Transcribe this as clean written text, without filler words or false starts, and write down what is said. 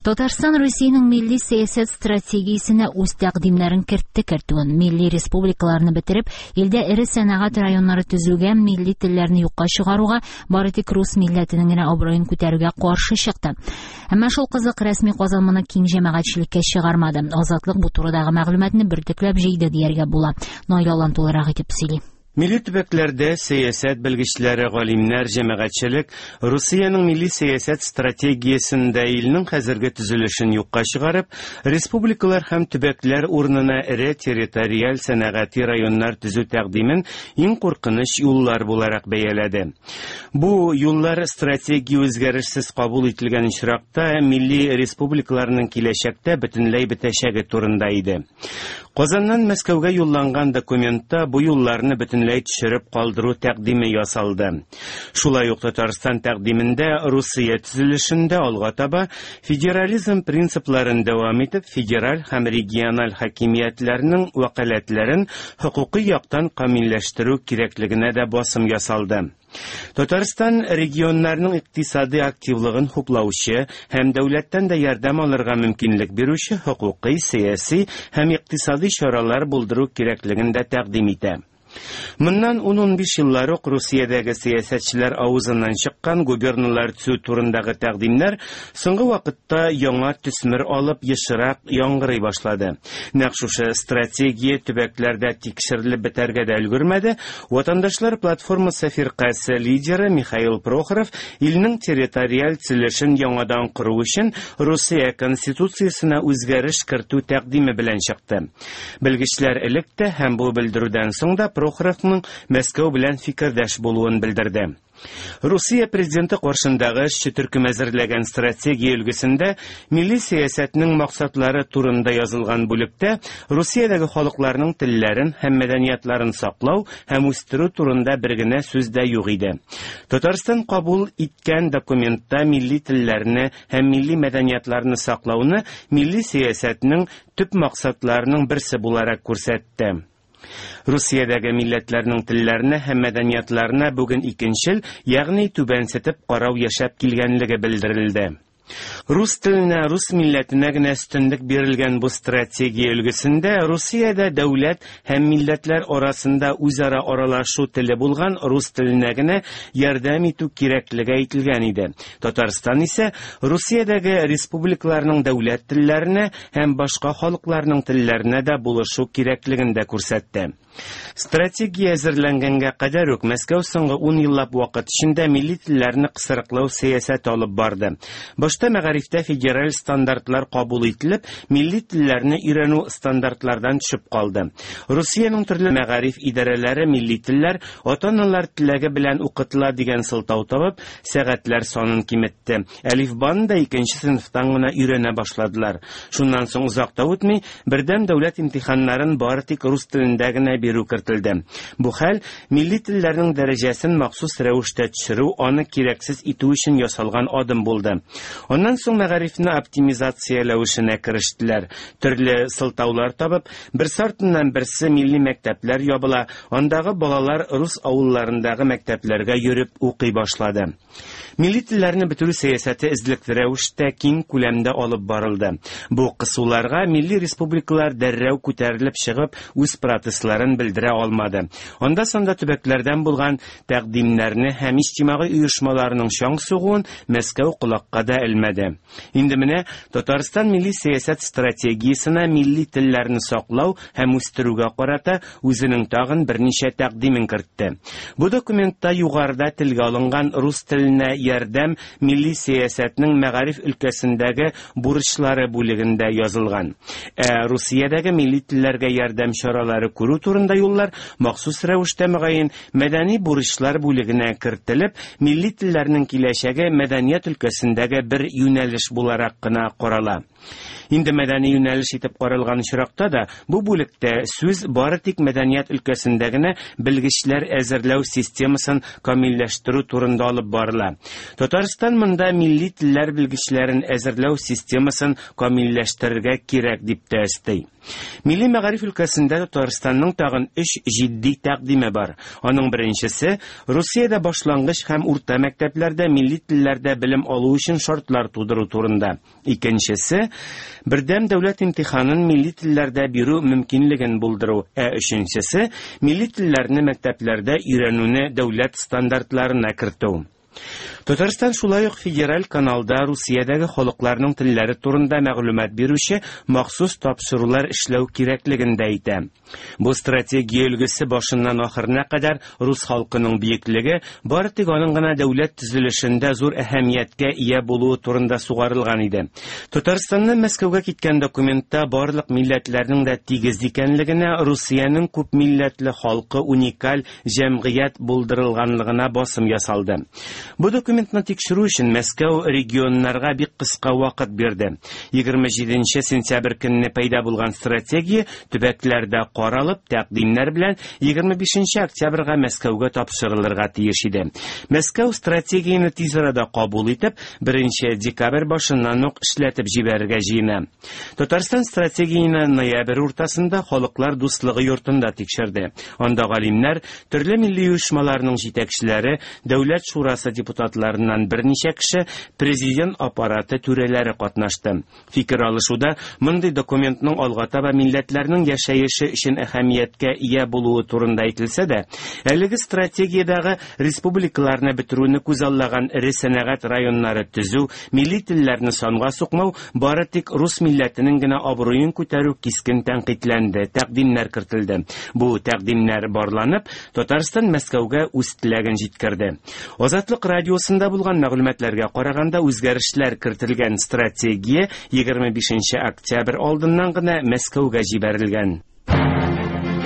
Татарстан Русиянең милли сәясәт стратегиясенә үз тәкъдимнәрен кертте кертүен. Милли республикаларны бетереп, илдә эре сәнәгать районнары төзүгә, милли телләрне юкка чыгаруга, бары тик рус милләтенең генә абруен күтәрүгә каршы чыкты. Әмма шул кызык, рәсми Казан моны киң җәмәгатьчелеккә чыгармады. Азатлык бу турыдагы мәгълүматны бөртекләп җыйды дияргә була. Наил Алан тулырак итеп сөйли. Милли төбәкләрдә сәясәт белгечләре, галимнәр, җәмәгатьчелек Русиянең милли сәясәт стратегиясендә илнең хәзерге төзелешен юкка чыгарып, республикалар һәм төбәкләр урынына эре территориаль сәнәгати районнар төзү тәкъдимен иң куркыныч юллар буларак бәяләде. Бу юллар стратегия үзгәрешсез кабул ителгән очракта милли республикаларның киләчәктә бөтенләй бетәчәге турында иде. Казаннан Мәскәүгә юлланган документта бу юлларны бөтенләй төшереп калдыру тәкъдиме ясалды. Шулай ук Татарстан тәкъдимендә Русия төзелешендә алга таба федерализм принципларын дәвам итеп, федераль һәм региональ хакимиятләрнең вәкаләтләрен хокукый яктан камилләштерү кирәклегенә дә басым ясалды. Татарстан регионнарның икътисади активлыгын хуплаучы һәм дәүләттән дә ярдәм алырга мөмкинлек бирүче хокукый, сәяси һәм икътисади чаралар булдыру кирәклеген дә тәкъдим итә. Моннан 10-15 еллар ук Русиядәге сәясәтчеләр авызыннан чыккан губерналар төзү турындагы тәкъдимнәр соңгы вакытта яңа төсмер алып ешрак яңгырый башлады. Нәкъ шушы стратегия төбәкләрдә тикшерелеп бетәргә дә өлгермәде, Ватандашлар платформасы фиркасе лидеры Михаил Прохоров илнең территориаль төзелешен яңадан кору өчен Русия Конституциясенә үзгәреш кертү тәкъдиме белән чыкты. Белгечләр элек тә һәм бу белдерүдән соң да Прохоровның Мәскәү белән фикердәш булуын белдерде. Русия президенты каршындагы эшче төркем әзерләгән стратегия өлгесендә милли сәясәтнең максатлары турында язылган бүлектә Русиядәге халыкларның телләрен һәм мәдәниятларын саклау һәм үстерү турында бер генә сүз дә юк иде. Татарстан кабул иткән документта милли телләрне һәм милли мәдәниятларны саклауны милли сәясәтнең төп максатларының берсе буларак күрсәтте. Русиядәге милләтләрнең телләренә һәм мәдәниятларына бүген икенчел, ягъни түбәнсетеп карау яшәп килгәнлеге белдерелде. Рус теленә, рус милләтенә генә өстенлек бирелгән бу стратегия өлгесендә Русиядә дәүләт һәм милләтләр арасында үзара аралашу теле булган рус теленә генә ярдәм итү кирәклеге әйтелгән иде. Татарстан исә Русиядәге республикаларның дәүләт телләренә һәм башка халыкларның телләренә дә булышу кирәклеген дә күрсәтте. Стратегия әзерләнгәнгә кадәр үк Мәскәү соңгы ун еллап вакыт эчендә милли телләрне кысрыклау сәясәте алып барды. Башта мәгарифтә федераль стандартлар кабул ителеп, милли телләрне өйрәнү стандартлардан төшеп калды. Русиянең төрле мәгариф идарәләре милли телләр ата-аналар теләге белән укытыла дигән сылтау табып, сәгатьләр санын киметте. Әлифбаны да икенче сыйныфтан гына өйрәнә башладылар. Шуннан соң озак та үтми, бердәм дәүләт имтиханнарын бары тик рус телендә генә бирү кертелде. Бу хәл милли телләрнең дәрәҗәсен махсус рәвештә төшерү, аны кирәксез итү өчен ясалган адым булды. Аннан соң мәгарифне оптимизацияләү эшенә керештеләр. Төрле сылтаулар табып, берсе артыннан берсе милли мәктәпләр ябыла, андагы балалар рус авылларындагы мәктәпләргә йөреп укый башлады. Милли телләрне бетерү сәясәте эзлекле рәвештә киң күләмдә алып барылды. Бу кысуларга милли республикалар дәррәү күтәрелеп чыгып, үз протестларын белдерә алмады. Анда-санда төбәкләрдән булган тәкъдимнәрне һәм иҗтимагый оешмаларның чаң сугуын Мәскәү колакка да элмәде. Инде менә Татарстан милли сәясәт стратегиясенә милли телләрне саклау һәм үстерүгә карата үзенең тагын берничә тәкъдимен кертте. Бу документта югарыда телгә алынган рус теленә ярдәм милли сәясәтнең мәгариф өлкәсендәге бурычлары бүлегендә язылган. Ә Русиядәге милли телләргә ярдәм чаралары күрү турында юллар махсус рәвештә мөгаен Мәдәни бурычлар бүлегенә кертелеп, милли телләрнең киләчәге мәдәният өлкәсендәге бер юнәлеш буларак кына карала. Инде мәдәни юнәлеш итеп каралган очракта да, бу бүлектә сүз бары тик мәдәният өлкәсендә генә белгечләр әзерләү системасын камилләштерү турында алып барыла. Татарстан монда милли телләр белгечләрен әзерләү системасын камилләштерергә кирәк дип тә өсти. Милли мәгариф өлкәсендә Татарстанның тагын өч җитди тәкъдиме бар. Аның беренчесе Русиядә башлангыч һәм урта мәктәпләрдә милли телләрдә белем алу өчен шартлар тудыру турында. Икенчесе бердәм дәүләт имтиханын милли телләрдә бирү мөмкинлеген булдыру, ә өченчесе милли телләрне мәктәпләрдә өйрәнүне дәүләт стандартларына кертү. Татарстан шулай ук федераль каналда Русиядәге халыкларның телләре турында мәгълүмат бирүче махсус тапшырулар эшләү кирәклеген дә әйтә. Бу стратегия өлгесе башыннан ахырына кадәр рус халкының биеклеге, бары тик аның гына дәүләт төзелешендә зур әһәмияткә ия булуы турында сугарылган иде. Татарстаннан Мәскәүгә киткән документта барлык милләтләрнең дә тигез икәнлегенә, Русиянең күп милләтле халкы уникаль җәмгыять булдырылганлыгына басым ясалды. Бу документны тикшерү өчен Мәскәү регионнарга бик кыска вакыт бирде. 27 сентябрь көнне пәйда булган стратегия төбәкләрдә каралып, тәкъдимнәр белән 25 октябрьгә Мәскәүгә тапшырылырга тиеш иде. Мәскәү стратегияне тиз арада кабул итеп, 1 декабрь башыннан ук эшләтеп җибәрергә җыена. Татарстан стратегияне ноябрь уртасында Халыклар дуслыгы йортында тикшерде. Анда галимнәр, төрле милли оешмаларның җитәкчеләре, Дәүләт шурасы депутатларыннан берничә кеше, президент аппараты түрәләре катнашты. Фикер алышуда мондый документның алга таба милләтләрнең яшәеше өчен әһәмияткә ия булуы турында әйтелсә дә, әлеге стратегиядәге республикаларны бетерүне күзаллаган эре сәнәгать районнары төзү, милли телләрне санга сукмау, бары тик рус милләтенең генә абруен күтәрү кискен тәнкыйтьләнде, тәкъдимнәр кертелде. Бу тәкъдимнәр барланып, Татарстан Мәскәүгә үз теләген җиткерде. Азатлык радиосында булган мәгълүматларга караганда, үзгәрешләр кертелгән стратегия 25 октябрь алдыннан гына Мәскәүгә җибәрелгән.